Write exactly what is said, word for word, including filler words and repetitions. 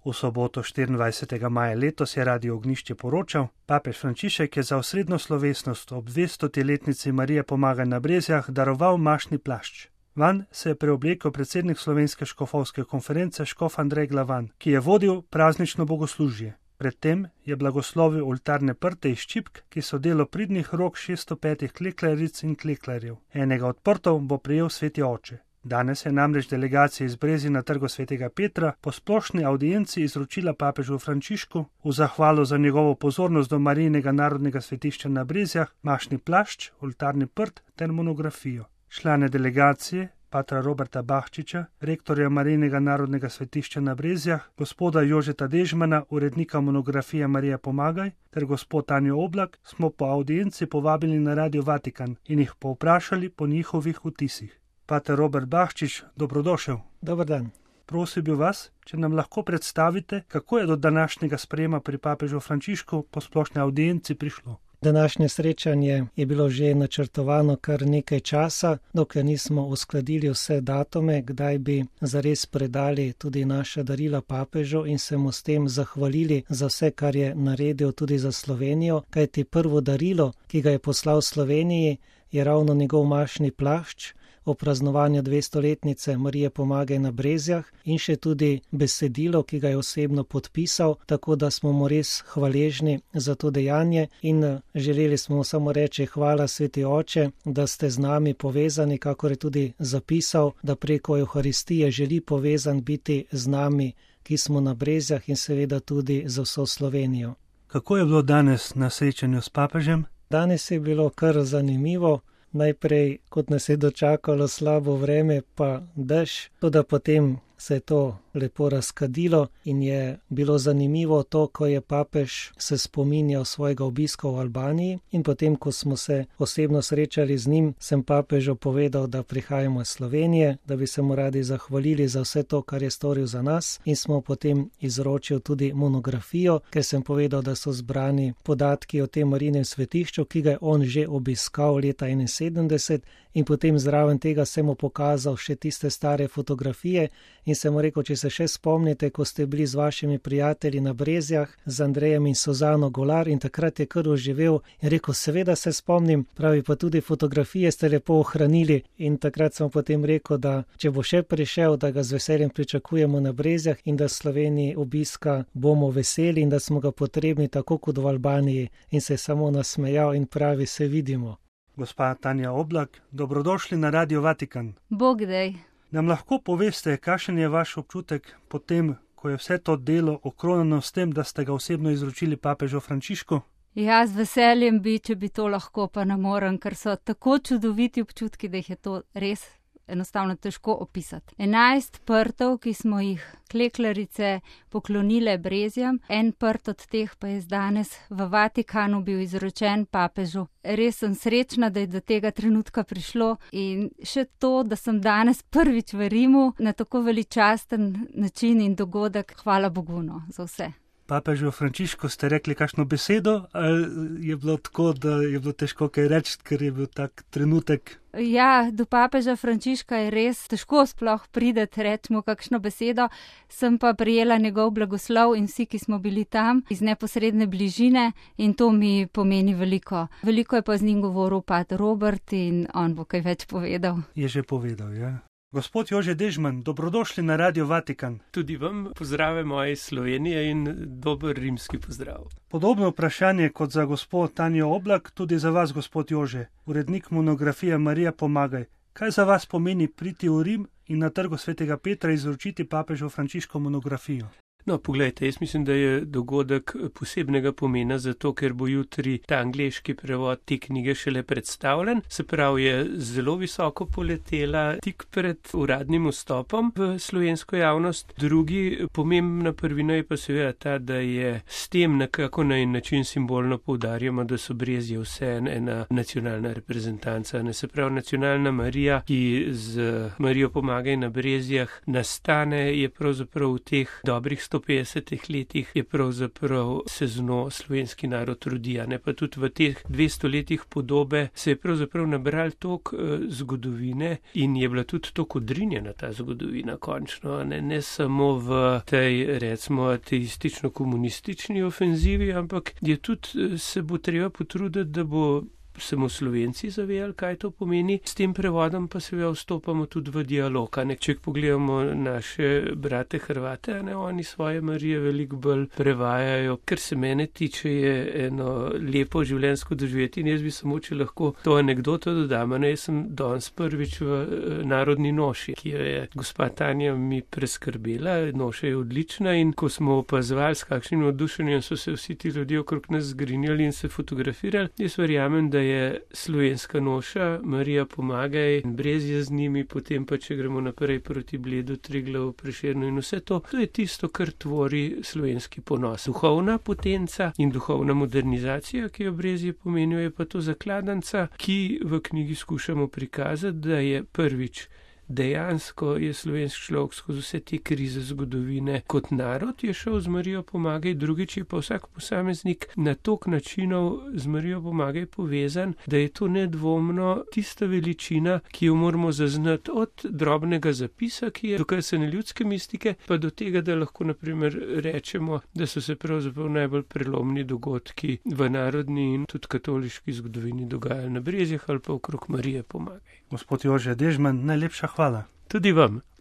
V soboto štiriindvajsetega maja letos je Radio Ognjišče poročal, papež Frančišek je za osrednjo slovesnost ob dvestoletnici Marije Pomagaj na Brezjah daroval mašni plašč. Vanj se je preoblekel predsednik Slovenske škofovske konference škof Andrej Glavan, ki je vodil praznično bogoslužje. Predtem je blagoslovil oltarne prte iz čipk, ki so delo pridnih rok šeststo petih kleklaric in kleklarjev. Enega od prtov bo prejel sveti oče. Danes je namreč delegacija iz Brezij na trgu svetega Petra po splošni avdienci izročila papežu Frančišku v zahvalo za njegovo pozornost do Marijinega narodnega svetišča na Brezjah, mašni plašč, oltarni prt ter monografijo. Člane delegacije, patra Roberta Bahčiča, rektorja Marijinega narodnega svetišča na Brezjah, gospoda Jožeta Dežmana, urednika monografije Marija Pomagaj, ter gospod Tanjo Oblak, smo po avdienci povabili na Radio Vatikan in jih povprašali po njihovih vtisih. Pater Robert Bahčič, dobrodošel. Dober dan. Prosil bi vas, če nam lahko predstavite, kako je do današnjega sprejema pri papežu Frančišku po splošni avdienci prišlo. Današnje srečanje je bilo že načrtovano kar nekaj časa, dokler nismo uskladili vse datume, kdaj bi zares predali tudi naša darila papežu in se mu s tem zahvalili za vse, kar je naredil tudi za Slovenijo, kajti prvo darilo, ki ga je poslal Sloveniji, je ravno njegov mašni plašč o praznovanju dvestoletnice Marije Pomagaj na Brezjah in še tudi besedilo, ki ga je osebno podpisal, tako da smo mu res hvaležni za to dejanje in želeli smo mu samo reči hvala sveti oče, da ste z nami povezani, kakor je tudi zapisal, da preko Evharistije želi povezan biti z nami, ki smo na Brezjah in seveda tudi za vso Slovenijo. Kako je bilo danes na srečanju s papežem? Danes je bilo kar zanimivo. Najprej, kot nas je dočakalo slabo vreme, pa dež, toda potem se je to lepo razkadilo in je bilo zanimivo to, ko je papež se spominjal svojega obiska v Albaniji in potem, ko smo se osebno srečali z njim, sem papežu povedal, da prihajamo iz Slovenije, da bi se mu radi zahvalili za vse to, kar je storil za nas in smo potem izročil tudi monografijo, ker sem povedal, da so zbrani podatki o tem Marijinem svetišču, ki ga je on že obiskal leta enainsedemdeset in potem zraven tega sem mu pokazal še tiste stare fotografije in sem mu rekel, če se še spomnite, ko ste bili z vašimi prijatelji na Brezjah, z Andrejem in Suzano Golar in takrat je kar oživel in rekel, seveda se spomnim, pravi pa tudi fotografije ste lepo ohranili in takrat sem potem rekel, da če bo še prišel, da ga z veseljem pričakujemo na Brezjah in da Sloveniji obiska bomo veseli in da smo ga potrebni tako kot v Albaniji in se je samo nasmejal in pravi, se vidimo. Gospa Tanja Oblak, dobrodošli na Radio Vatikan. Bog dej. Nam lahko poveste, kakšen je vaš občutek po tem, ko je vse to delo okronano s tem, da ste ga osebno izročili papežu Frančišku? Ja, z veseljem bi, če bi to lahko, pa ne morem, ker so tako čudoviti občutki, da jih je to res enostavno težko opisati. Enajst prtov, ki smo jih kleklarice poklonile Brezjam, en prt od teh pa je danes v Vatikanu bil izročen papežu. Res sem srečna, da je do tega trenutka prišlo in še to, da sem danes prvič v Rimu na tako veličasten način in dogodek. Hvala Bogu no, za vse. Papežu Frančišku ste rekli kakšno besedo, ali je bilo tako, da je bilo težko kaj reči, ker je bil tak trenutek? Ja, do papeža Frančiška je res težko sploh prideti, rečemo kakšno besedo, sem pa prijela njegov blagoslov in vsi, ki smo bili tam, iz neposredne bližine in to mi pomeni veliko. Veliko je pa z njim govoril pater Robert in on bo kaj več povedal. Je že povedal, ja. Gospod Jože Dežman, dobrodošli na Radio Vatikan. Tudi vam pozdrave moje Slovenije in dober rimski pozdrav. Podobno vprašanje kot za gospod Tanjo Oblak, tudi za vas, gospod Jože, urednik monografije Marija Pomagaj. Kaj za vas pomeni priti v Rim in na trgu svetega Petra izročiti papežu Frančišku monografijo? No, poglejte, jaz mislim, da je dogodek posebnega pomena, zato ker bo jutri ta angleški prevod te knjige šele predstavljen. Se pravi, je zelo visoko poletela tik pred uradnim vstopom v slovensko javnost. Drugi pomembna prvina je pa seveda ta, da je s tem nekako na en način simbolno poudarjamo, da so Brezje vse ena nacionalna reprezentanca. Ne, se pravi, nacionalna Marija, ki z Marijo Pomagaj na Brezjah nastane, je pravzaprav v teh dobrih sto petdesetih letih je pravzaprav se zno slovenski narod rodi, ne pa tudi v teh dvesto letih podobe se je pravzaprav nabral toliko uh, zgodovine in je bila tudi toliko odrinjena ta zgodovina končno, ne, ne samo v tej, recimo, ateistično-komunistični ofenzivi, ampak je tudi se bo treba potruditi, da bo samo Slovenci zavedali, kaj to pomeni. S tem prevodom pa seveda vstopamo tudi v dialog. Ne? Če pogledamo naše brate Hrvate, ne, oni svoje Marije veliko bolj prevajajo. Kar se mene tiče, je eno lepo življenjsko doživeti in jaz bi samo, če lahko to anekdoto dodam. Ne, jaz sem danes prvič v narodni noši, ki jo je gospa Tanja mi preskrbela. Noša je odlična in ko smo opazovali, s kakšnim navdušenjem so se vsi ti ljudje okrog nas zgrinjali in se fotografirali, jaz verjamem, da je slovenska noša, Marija pomagaj, Brezje z njimi, potem pa, če gremo naprej proti Bledu, Triglavu, Prešernu in vse to, to je tisto, kar tvori slovenski ponos. Duhovna potenca in duhovna modernizacija, ki jo Brezje pomenijo, je pa to zakladanca, ki v knjigi skušamo prikazati, da je prvič dejansko je slovenski človek skozi vse te krize zgodovine kot narod je šel z Marijo pomagaj, drugič je pa vsak posameznik na tok načinov z Marijo pomagaj povezan, da je to nedvomno tista veličina, ki jo moramo zaznati od drobnega zapisa, ki je dokazane ljudske mistike, pa do tega, da lahko naprimer rečemo, da so se pravzaprav najbolj prelomni dogodki v narodni in tudi katoliški zgodovini dogajali na Brezjah ali pa okrog Marije pomagaj. Gospod Jože Dežman, najlepša hvala. Tudi vam.